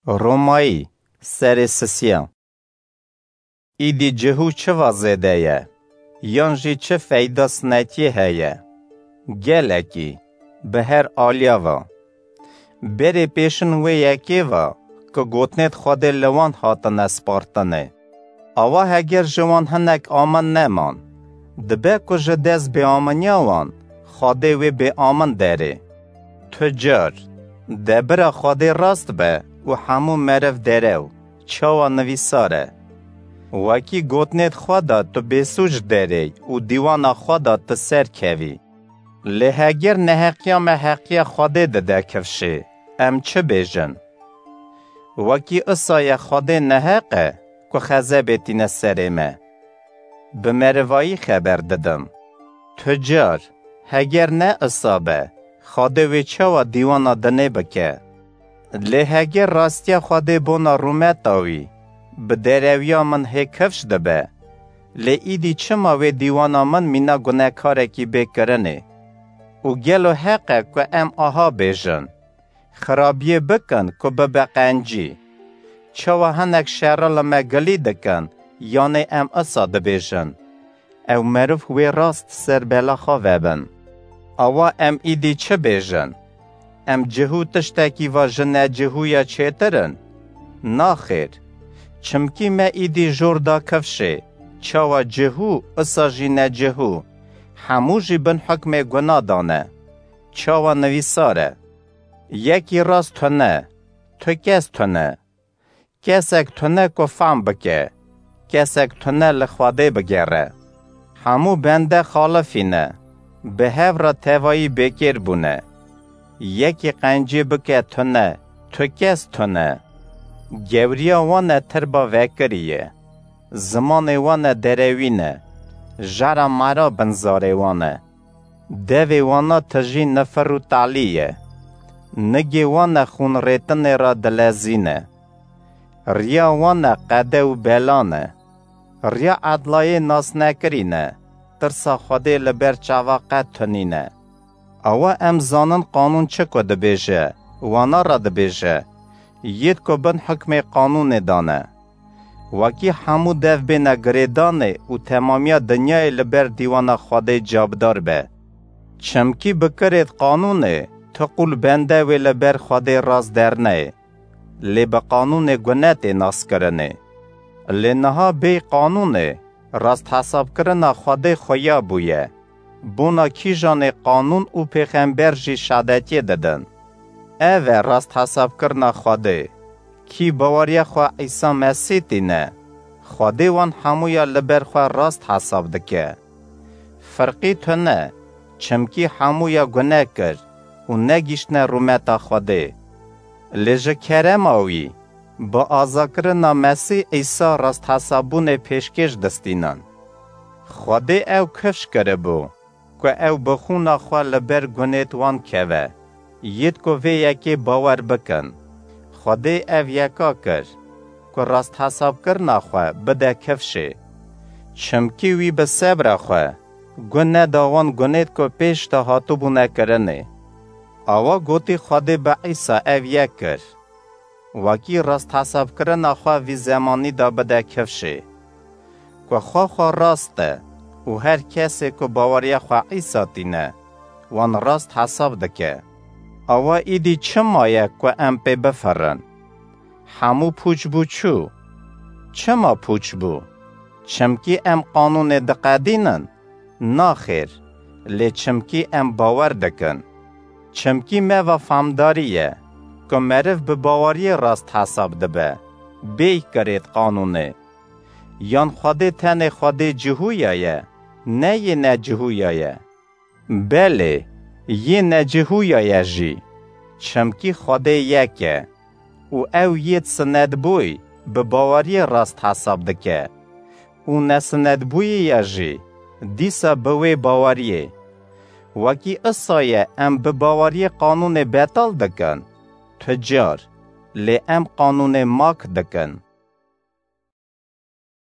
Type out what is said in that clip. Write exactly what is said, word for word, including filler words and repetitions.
Romayî, serê sisiya. Îdî cihû çi va zêde ye? Yan jî çi feyda sinetiyê heye? Gelekî, bi her aliya va. Berê pêşin wê yekê va, ku gotinêd Xwedê li wan hatine spartine. Awa heger ji wan hinek amin neman, dibe ku ji dest bêaminiya wan Xwedê wê bêamin derê. Tu car, debira Xwedê rast be û hemû meriv derew, çawa nivîsar e. Wekî gotinêd xwe de tu bêsûc derê û dîwana xwe de tu serkevî. Lê heger neheqiya me heqiya Xwedê dide kifşê, em çi bêjin? Wekî isa ye Xwedê neheq e ku xezebê tîne serê me. Bi merivayî xeber didim. Tu car, heger ne isa be, Xwedê wê çawa dîwana dinê bike? Lê heger rastiya Xwedê bona rûmeta wî, bi derewiya min hê kifş dibe, lê îdî çima wê dîwana min mîna gunekarekî bê kirinê? Û gelo heq e ku em aha bêjin? Xirabiyê bikin ku bibe qencî. Çawa hinek şerî li me gilî dikin, yanê em isa dibêjin? Ew meriv wê rast ser bela xwe vebin. Awa em îdî çi bêjin? Em cihû tiştekî va ji necihûya çêtir in? Naxêr. Çimkî me îdî jor da kifşê, çawa cihû, isa jî necihû, hemû jî bin hukmê guna dane. Çawa nivîsar e: Yekî rast tune, tu kes tune. Kesek tune ku fam bike, kesek tune li Xwedê bigere. Hemû bende xalifî ne, bi hev re tevayî bêkêr bûne. Yekî qencî bike tune, tu kes tune. Gewriya wan e tirba vekirî ye. Zimanê wan e derewî ne. Jera mera bin zarê wan e. Devê wana tijî nifir û talî ye. Nigê wana xûn rêtinê ra dilezîne. Riya wana qede û belan e. Riya edlayê nasnekirî ne. Tirsa Xwedê li ber çava qet tunîne. Awa em zanin qanûn çi ku dibêje, wana ra dibêje, yêd ku bin hukmê qanûnê dane. Wekî hemû dev bêne girêdanê û temamiya dinyayê li ber dîwana Xwedê cabdar be. Çimkî bi kirêd qanûnê, tu qûl bende wê li ber Xwedê rast derneyê, lê bi qanûnê gune tê naskirinê. Lê niha bêy qanûnê, rasthesabkirina Xwedê xuya bûye. Bona kîjanê qanûn û pêxember jî şadetiyê didin. Ev e rasthesabkirina Xwedê. Kî baweriya xwe Îsa Mesîh tîne, Xwedê wan hemûya li ber xwe rast hesab dike. Firqî tune, çimkî hemûya gune kir û negîştine rûmeta Xwedê. Lê ji kerema wî, bi azakirina Mesîh Îsa rasthesabûnê pêşkêş distînin. Xwedê ew kifş kiribû, ku ew bi xûna xwe li ber gunêd wan keve, yêd ku vê yekê bawer bikin. Xwedê ev yeka kir, ku rasthesabkirina xwe bide kifşê. Çimkî wî bi sebra xwe gun neda wan gunêd ku pêş de hatibûne kirinê. Awa gotî Xwedê bi Îsa ev yek kir. Wekî rasthesabkirina xwe vî zemanî de bide kifşê. Ku xwe xwe rast e û her kesê ku baweriya xwe Îsa tîne, wan rast hesab dike. Awa îdî çima ye ku em pê bifirin? Hemû pûç bû çû. Çima pûç bû? Çimkî em qanûnê diqedînin? Naxêr, lê çimkî em bawer dikin. Çimkî me va famdarî ye, ku meriv bi baweriyê rast hesab dibe, bêy kirêd qanûnê. Yan Xwedê tenê Xwedê cihûya ye, ne yê necihûya ye? Belê, yê necihûya ye jî, çimkî Xwedê yek e. Û ew yêd sinetbûy bi baweriyê rast hesab dike. Û nesinetbûyî ya jî dîsa bi wê baweriyê. Wekî isa ye em bi baweriyê qanûnê betal dikin, tu car, lê em qanûnê mak dikin.